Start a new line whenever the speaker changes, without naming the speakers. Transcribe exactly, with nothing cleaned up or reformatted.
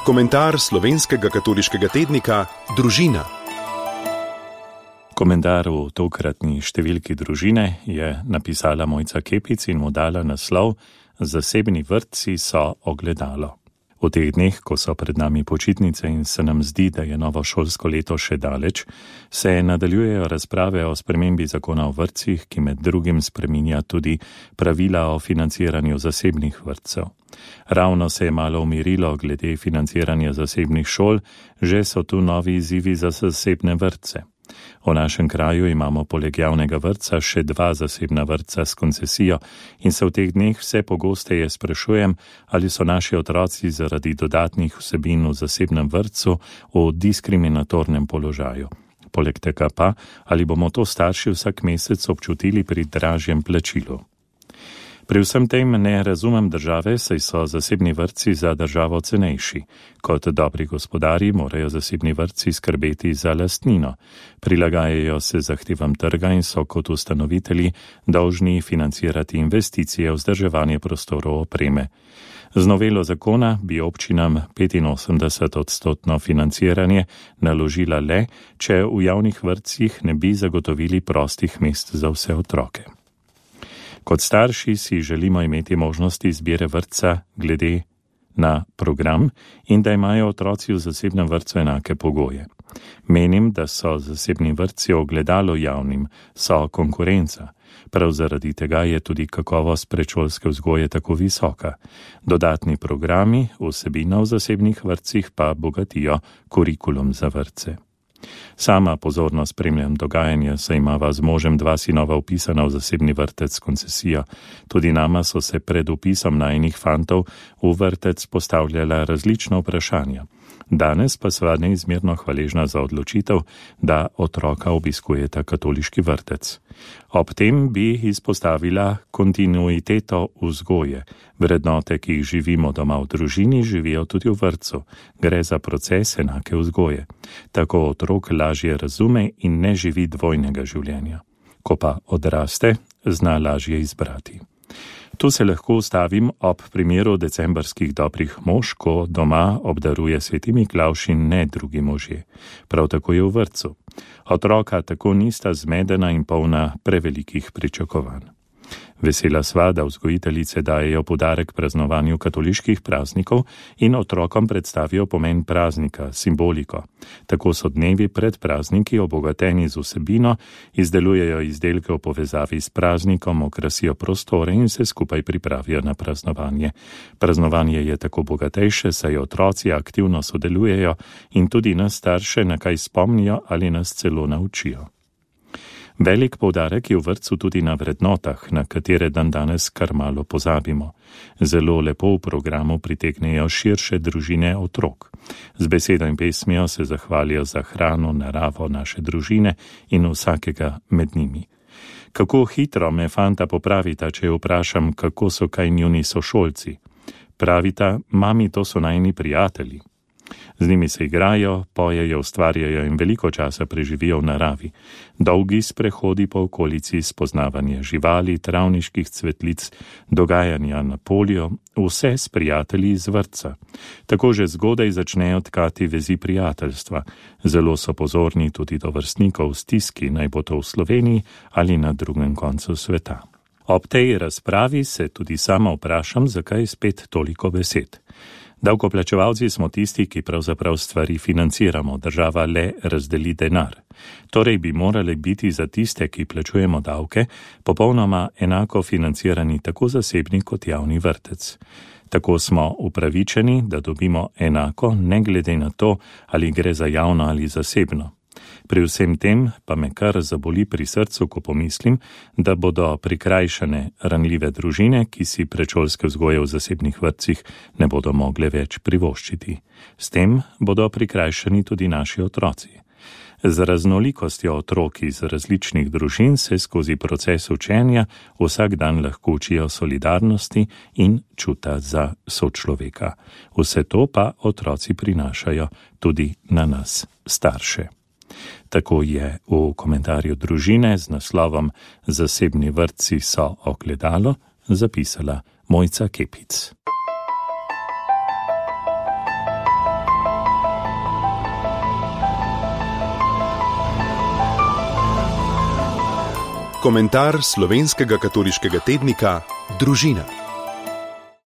Komentar slovenskega katoliškega tednika Družina.
Komentar v tokratni številki Družine je napisala Mojca Kepic in mu dala naslov Zasebni vrtci so ogledalo. V teh dneh, ko so pred nami počitnice in se nam zdi, da je novo šolsko leto še daleč, se nadaljujejo razprave o spremembi zakona o vrtcih, ki med drugim spreminja tudi pravila o financiranju zasebnih vrtcev. Ravno se je malo umirilo glede financiranja zasebnih šol, že so tu novi izzivi za zasebne vrtce. V našem kraju imamo poleg javnega vrtca še dva zasebna vrtca s koncesijo in se v teh dneh vse pogosteje sprašujem, ali so naši otroci zaradi dodatnih vsebin v zasebnem vrtcu v diskriminatornem položaju. Poleg tega pa, ali bomo to starši vsak mesec občutili pri dražjem plačilu. Pri vsem tem ne razumem države, saj so zasebni vrtci za državo cenejši. Kot dobri gospodarji morajo zasebni vrtci skrbeti za lastnino. Prilagajajo se zahtevam trga in so kot ustanovitelji dolžni financirati investicije v vzdrževanje prostorov opreme. Z novelo zakona bi občinam petinosemdeset odstotno financiranje naložila le, če v javnih vrtcih ne bi zagotovili prostih mest za vse otroke. Kot starši si želimo imeti možnosti izbire vrtca glede na program in da imajo otroci v zasebnem vrtcu enake pogoje. Menim, da so zasebni vrtci ogledalo javnim, so konkurenca. Prav zaradi tega je tudi kakovost predšolske vzgoje tako visoka. Dodatni programi, vsebina v zasebnih vrtcih pa bogatijo kurikulum za vrtce. Sama pozorno spremljam dogajanje, saj imava z možem dva sinova vpisana v zasebni vrtec s koncesijo. Tudi nama so se pred vpisom najinih fantov v vrtec postavljala različna vprašanja. Danes pa sva neizmerno hvaležna za odločitev, da otroka obiskujeta katoliški vrtec. Ob tem bi izpostavila kontinuiteto vzgoje. Vrednote, ki jih živimo doma v družini, živijo tudi v vrtcu. Gre za proces enake vzgoje. Tako otrok lažje razume in ne živi dvojnega življenja. Ko pa odraste, zna lažje izbrati. Tu se lahko ustavim ob primeru decembrskih dobrih mož, ko doma obdaruje sveti Miklavž in ne drugi možje. Prav tako je v vrtcu. Otroka tako nista zmedena in polna prevelikih pričakovanj. Vesela sva, da vzgojiteljice dajejo poudarek praznovanju katoliških praznikov in otrokom predstavijo pomen praznika, simboliko. Tako so dnevi pred prazniki obogateni z vsebino, izdelujejo izdelke v povezavi s praznikom, okrasijo prostore in se skupaj pripravijo na praznovanje. Praznovanje je tako bogatejše, saj otroci aktivno sodelujejo in tudi nas starše na kaj spomnijo ali nas celo naučijo. Velik poudarek je v vrtcu tudi na vrednotah, na katere dan danes kar malo pozabimo. Zelo lepo v programu pritegnejo širše družine otrok. Z besedo in pesmijo se zahvalijo za hrano, naravo, naše družine in vsakega med njimi. Kako hitro me fanta popravita, če jo vprašam, kako so kaj njuni sošolci. Pravita, mami, to so najini prijatelji. Z njimi se igrajo, pojejo, ustvarjajo in veliko časa preživijo v naravi. Dolgi sprehodi po okolici, spoznavanje živali, travniških cvetlic, dogajanja na polju, vse s prijatelji iz vrtca. Tako že zgodaj začnejo tkati vezi prijateljstva. Zelo so pozorni tudi do vrstnikov v stiski, naj bo to v Sloveniji ali na drugem koncu sveta. Ob tej razpravi se tudi sama vprašam, zakaj spet toliko besed. Davkoplačevalci smo tisti, ki pravzaprav stvari financiramo, država le razdeli denar. Torej bi morali biti za tiste, ki plačujemo davke, popolnoma enako financirani tako zasebni kot javni vrtec. Tako smo upravičeni, da dobimo enako, ne glede na to, ali gre za javno ali zasebno. Pri vsem tem pa me kar zaboli pri srcu, ko pomislim, da bodo prikrajšane ranljive družine, ki si predšolske vzgoje v zasebnih vrtcih ne bodo mogle več privoščiti. S tem bodo prikrajšani tudi naši otroci. Z raznolikostjo otrok iz različnih družin se skozi proces učenja vsak dan lahko učijo solidarnosti in čuta za sočloveka. Vse to pa otroci prinašajo tudi na nas, starše. Tako je v komentarju Družine z naslovom Zasebni vrtci so ogledalo zapisala Mojca Kepic.
Komentar slovenskega katoliškega tednika Družina.